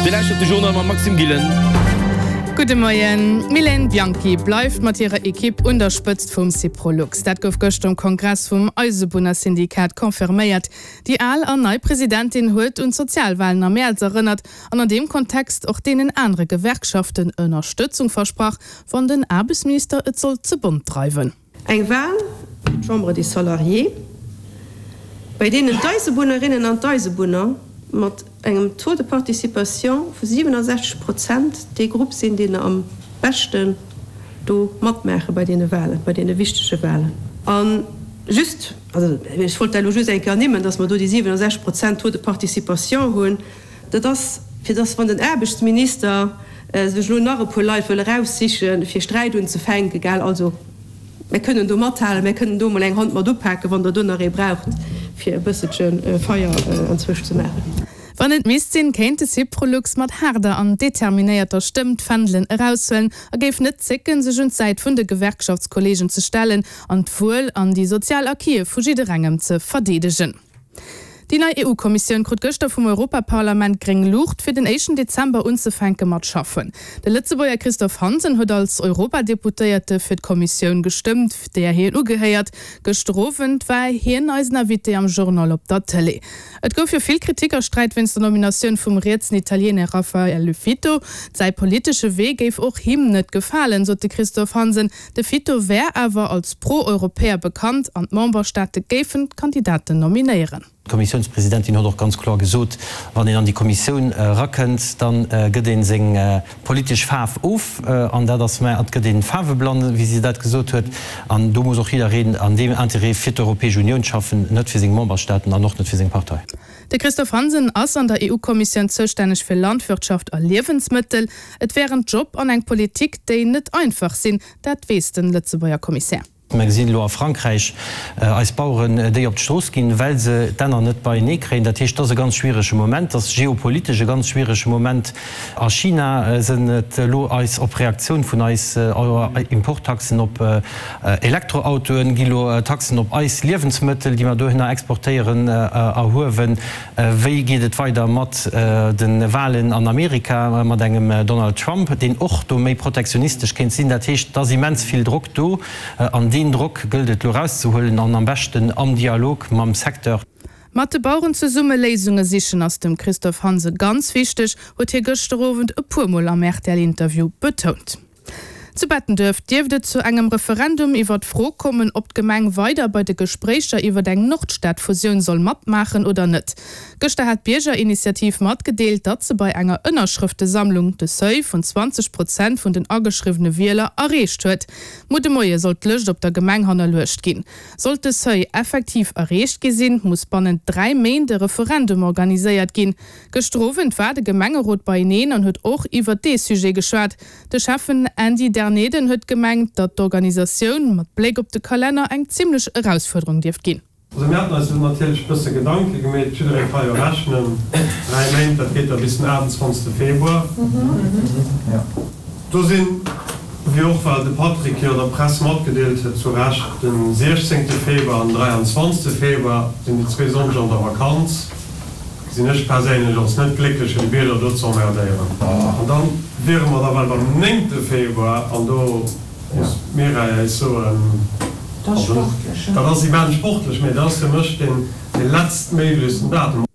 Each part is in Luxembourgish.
Dir lauschtert de Journal mam Maxime Gillen. Gudde Moien. D'Mylène Bianchi bleift mat hirer Ekipp un der Spëtzt vum Syprolux. Dat gouf gëschter um Kongress vum Eisebunnersyndikat confirméiert. Déi al an nei Presidentin huet un d'Sozialwalen am Mäerz erënnert an an deem Kontext och deenen anere Gewerkschaften Ënnerstëtzung versprach, wann den Aarbechtsminister et sollt ze bont dreiwen. Eng Wal fir d'Chambre des Salariés, bei deenen d'Eisebunnerinnen an d'Eisebunner mat engem Taux de participation vu 67 Prozent dee Grupp sinn, deen am beschten do matmaache bei deene Walen, bei deene wichtege Walen. A just, also ech wollt dat elo just eng Kéier ernimmen, dass mer do déi 67 Prozent Taux de participation hunn, dat ass, fir dass, wann den Aarbechtsminister sech elo nach e puer Leit wëll eraussichen, fir Sträit unzefänken, gell, also mär kënnen do mathalen, mär kënnen do emol eng Hand mat upaken, wann Der do nach ee braucht, fir e bësselche Feier anzwousch ze maachen. Wann et misst sinn, kéint de Syprolux mat haarder an determinéierter Stëmm d'Fändelen eraushuelen a géif net zécken, sech un d'Säit vun de Gewerkschaftskollegen ze stellen an d'Wuel an déi sozial Acquise vu jidderengem ze verdeedegen. Déi nei EU-Kommissioun krut gëschter vum Europaparlament gréng Luucht, fir den éischten Dezember unzefänke mat schaffen. De Lëtzebuerger Christophe Hansen huet als Europadeputéierte fir d'Kommissioun gestëmmt, där hien ugehéiert. Gëschter Owend war hien eisen Invité am Journal op der Tëlee. Et gouf jo vill Kritik a Sträit wéinst der Nominatioun vum rietsen Italiener Raffaele Fitto. Säi politesche Wee géif och him net gefalen, sot de Christophe Hansen. De Fitto wär awer als Pro-Europäer bekannt an d'Memberstaate géifen d'Kandidaten nominéieren. D'Kommissiounspresidentin huet och ganz kloer gesot, wann een an déi Kommissioun erakënnt, da gëtt ee seng politesch Faarf of. An dat ass, mä et gëtt ee faarweblann, wéi si dat gesot huet. An do muss och jiddereen an deem Interêt fir d'Europäesch Unioun schaffen, net fir seng Memberstaaten an och net fir seng Partei. De Christophe Hansen ass an der EU-Kommissioun zoustänneg fir Landwirtschaft a Liewensmëttel. Et wär en Job an eng Politik, déi net einfach sinn, dat weess den Lëtzebuerger Kommissär. Mer gesinn elo a Frankräich eis Baueren, déi op d'Strooss ginn, well se d'Enner net beienee kréien. Dat heescht, et ass e ganz schwierege Moment, et ass geopolitesch e ganz schwierege Moment. A China sënn et elo eis op Reaktioun vun eis Importtaxen op Elektroautoen, gi lo Taxen op eis Liewensmëttel, déi mer dohinner exportéieren, erhuewen. Wéi geet et weider mat de Walen an Amerika, mat engem Donald Trump, deen och do méi protektionistesch kéint sinn? Dat heescht, et ass immens vill Drock do, an deen Drock gëllt et elo erauszehuelen, an am beschten am Dialog mam Secteur. Mat de Baueren zesumme Léisunge sichen ass dem Christophe Hansen ganz wichteg, huet hie gëschter Owend e puer Mol am RTL-Interview betount. Zu Bettenduerf dierft et zu engem Referendum iwwer d'Fro kommen, ob d'Gemeng weider bei de Gespréicher iwwer eng Nordstad-Fusioun soll matmaachen oder net. Gëschter hat d'Biergerinitiativ matgedeelt, datt se bei enger Ënnerschrëftesammlung de Seuil vun 20 Prozent vun den ageschriwwene Wieler erreecht huet. Muer de Moie soll d'Lëscht op der Gemeng hannerluecht ginn. Sollt de Seuil effektiv erreecht gi sinn, muss bannent 3 Méint e Referendum organiséiert ginn. Gëschter Owend war de Gemengerot beieneen an huet och iwwer dee Sujet geschwat. De Schäffen Andy Derneden huet gemengt, datt d'Organisatioun mat Bléck op de Kalenner eng zimmlech Erausfuerderung dierft ginn. Also mir haten eis do natierlech e bësse Gedanke gemeet. Jidderee ka jo rechnen, 3 Méint, dat geet da bis den 28. Februar. Do sinn, wéi och well de Patrick jo der Press matgedeelt huet, zu Recht, den 16. Februar an den 23. Februar sinn déi zwee Sonndeger an der Vakanz. Gesinn ech perséinlech als net glécklech fir de Bierger do ze emmerdéieren. An dann wiere mer da well beim néngte Februar an do muss d'Mireille äis soen, also dat ass immens sportlech, mee dat ass fir mech deen letztméiglechsten Datum.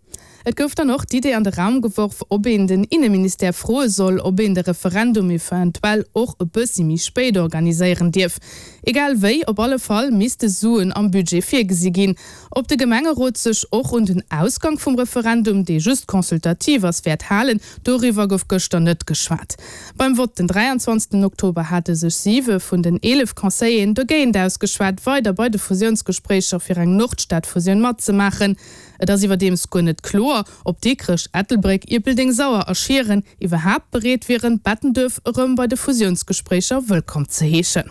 Et gouf dann och d'Idee an de Raum geworf, ob een den Inneministère froe soll, ob een de Referendum eventuell och e bëssi méi spéit organiséieren dierf. Egal wéi, op alle Fall misste Suen am Budget virgesi ginn. Ob de Gemengerot sech och un den Ausgang vum Referendum, dee just consultativ ass, wäert halen, doriwwer gouf gëschter net geschwat. Beim Vott den 23 Oktober hate sech siwe vun den 11 Conseilleren dogéint ausgeschwat, weider bei de Fusiounsgespréicher fir eng Nordstad-Fusioun matzemaachen. Et ass iwwerdeems guer net kloer, ob Dikrech, Ettelbréck, Ierpeldeng, Sauer a Schieren iwwerhaapt bereet wieren, Bettenduerf erëm bei de Fusiounsgespréicher wëllkomm ze heeschen.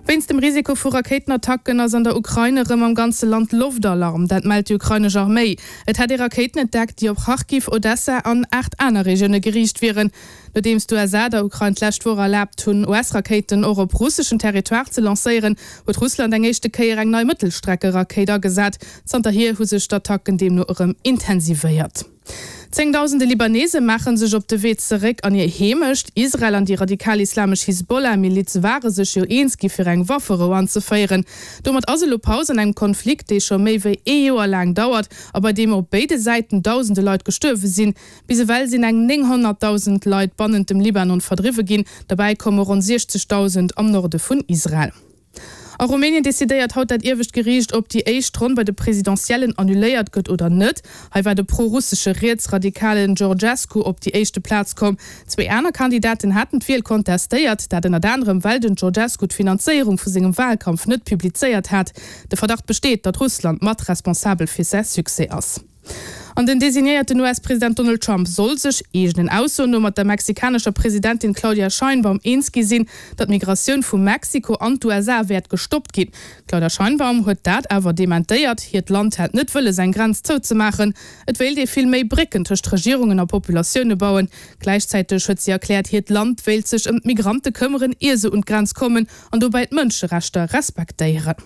Wéinst dem Risiko vu Rakéitenattacken ass an der Ukrain erëm am ganze Land Loftalarm. Dat mellt déi ukrainesch Arméi. Et hätt ee Rakéiten entdeckt, déi op Charkiw, Odessa an 8 aner Regioune geriicht wieren. Nodeems d'USA der Ukrain d'lescht Woch erlaabt hunn, US-Rakéiten och op russeschen Territoire ze lancéieren, huet Russland eng éischte Kéier eng nei Mëttelstreckerakéit agesat. Zanterhier hu sech d'Attacken deemno erëm intensivéiert. Zéngdausende Libanese maache sech op de Wee zeréck an hir Heemecht. Israel an déi radikal-islamesch Hisbollah-Miliz ware sech jo eens gi fir eng Wafferou anzeféieren. Domat ass elo Paus an engem Konflikt, dee scho méi wéi ee Joer laang dauert a bei deem op béide Säiten dausende Leit gestuerwe sinn. Bis ewell sinn eng 900.000 Leit bannent dem Libanon verdriwwe ginn, derbäi komme ronn 60.000 am Norde vun Israel. A Rumänien decidéiert haut dat iewescht Geriicht, ob déi éischt Ronn bei de Presidentiellen annuléiert gëtt oder net. Hei war de pro-russesche Rietsradikalen Georgescu op déi éischte Plaz komm. Zwee aner Kandidaten haten d'Wiel kontestéiert, dat ënnert anerem well den Georgescu d'Finanzéierung vu sengem Walkampf net publizéiert hat. De Verdacht besteet, datt Russland mat responsabel fir säi Succès ass. An den designéierten US-President Donald Trump soll sech, eegenen Aussoen no, mat der mexikanescher Presidentin Claudia Sheinbaum eens gi sinn, datt d'Migratioun vu Mexiko an d'USA wäert gestoppt ginn. D'Claudia Sheinbaum huet dat awer dementéiert. Hiert Land hätt net wëlles eng Grenz zouzemaachen. Et wéilt ee vill méi Brécken tëscht Regierungen a Populatioune bauen. Gläichzäiteg huet si erkläert, hiert Land wéilt sech ëm d'Migrante këmmeren, ier se un d'Grenz kommen an dobäi d'Mënscherechter respektéieren.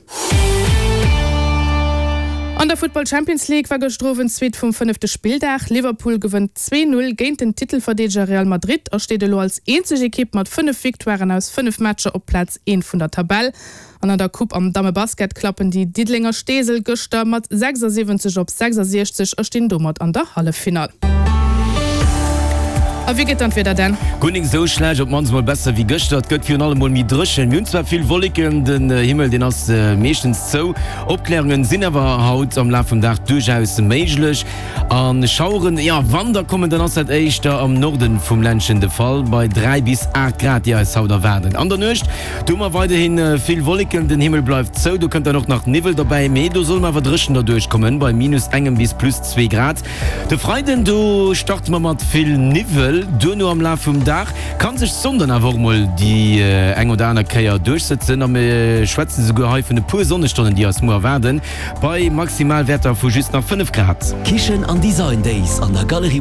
An der Futtball Champions League war gëschter Owend d'Suite vum fënnefte Spilldag. Liverpool gewënnt 2, 0 géint den Titelverdeedeger Real Madrid a steet elo als eenzeg Ekipp mat 5 Victoiren aus 5 Matcher op Plaz 1 vun der Tabell. An an der Coupe am Dammebasket klappen déi Diddelenger Steesel gëschter mat 76 op 66 a stinn domat an der Halleffinall. A wéi gëtt dann d'Wieder Dan? Guer nik esou schlecht, op d'mannst mol besser wéi gëschter. Et gëtt virun allem mol méi dréchen. Mir hunn zwar vill Wolleken, den Himmel deen ass meeschtens zou. Opklärungen sinn awer haut am Laf vum Dag duerchaus méiglech. A Schaueren, jo wann der kommen, dann ass dat éischter am Norden vum Ländchen de Fall, bei 3 bis 8 Grad déi eis haut erwaarden. An der Nuecht, do hu mer weiderhi vill Wolleken, den Himmel bleift zou, do kënnt dann och nach Niwwel derbäi, mee do solle mer awer dréchen derduerch kommen, bei minus engem bis plus zwee Grad. De Freiden, do starte mer mat vill Niwwel, duerno am Laf vum Dag kann sech d'Sonn dann awer och mol déi eng oder aner Kéier duerchsëtzen a mir schwätzen esouguer hei vun e puer Sonnestonnen, déi eis muer erwaarden, bei Maximalwäerter vu just nach 5 Grad. Kichen an Design Days an der Galerie.